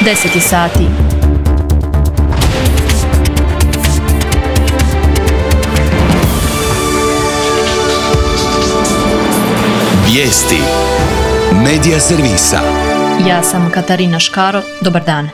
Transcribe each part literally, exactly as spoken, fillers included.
deset sati. Vijesti Medija servisa. Ja sam Katarina Škaro, dobar dan.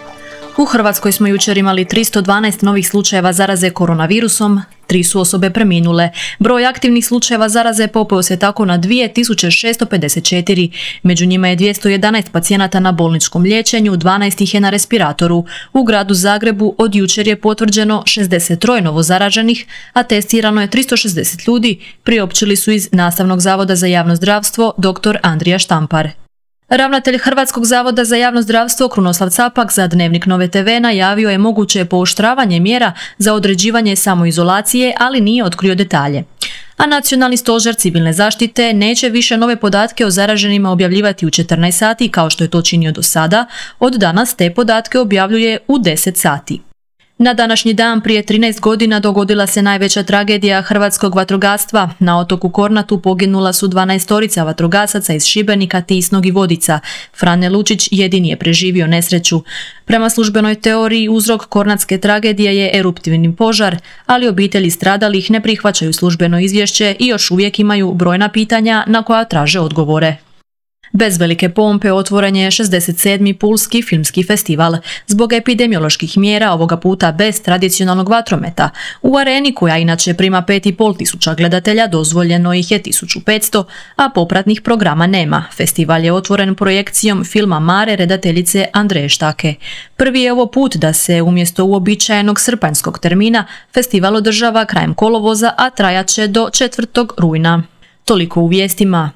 U Hrvatskoj smo jučer imali tristo dvanaest novih slučajeva zaraze koronavirusom, tri su osobe preminule. Broj aktivnih slučajeva zaraze popeo se tako na dvije tisuće šesto pedeset četiri. Među njima je dvjesto jedanaest pacijenata na bolničkom liječenju, dvanaest ih je na respiratoru. U gradu Zagrebu od jučer je potvrđeno šezdeset tri novo zaraženih, a testirano je tristo šezdeset ljudi, priopćili su iz Nastavnog zavoda za javno zdravstvo dr. Andrija Štampar. Ravnatelj Hrvatskog zavoda za javno zdravstvo Krunoslav Capak za Dnevnik Nove te ve najavio je moguće pooštravanje mjera za određivanje samoizolacije, ali nije otkrio detalje. A Nacionalni stožer civilne zaštite neće više nove podatke o zaraženima objavljivati u četrnaest sati kao što je to činio do sada, od danas te podatke objavljuje u deset sati. Na današnji dan prije trinaest godina dogodila se najveća tragedija hrvatskog vatrogastva. Na otoku Kornatu poginula su dvanaestorica vatrogasaca iz Šibenika, Tisnog i Vodica. Frane Lučić jedini je preživio nesreću. Prema službenoj teoriji uzrok kornatske tragedije je eruptivni požar, ali obitelji stradalih ne prihvaćaju službeno izvješće i još uvijek imaju brojna pitanja na koja traže odgovore. Bez velike pompe otvoren je šezdeset sedmi Pulski filmski festival. Zbog epidemioloških mjera ovoga puta bez tradicionalnog vatrometa. U areni, koja inače prima pet i pol tisuća gledatelja, dozvoljeno ih je tisuću petsto, a popratnih programa nema. Festival je otvoren projekcijom filma Mare redateljice Andreje Štake. Prvi je ovo put da se umjesto uobičajenog srpanjskog termina festival održava krajem kolovoza, a trajat će do četvrtog rujna. Toliko u vijestima.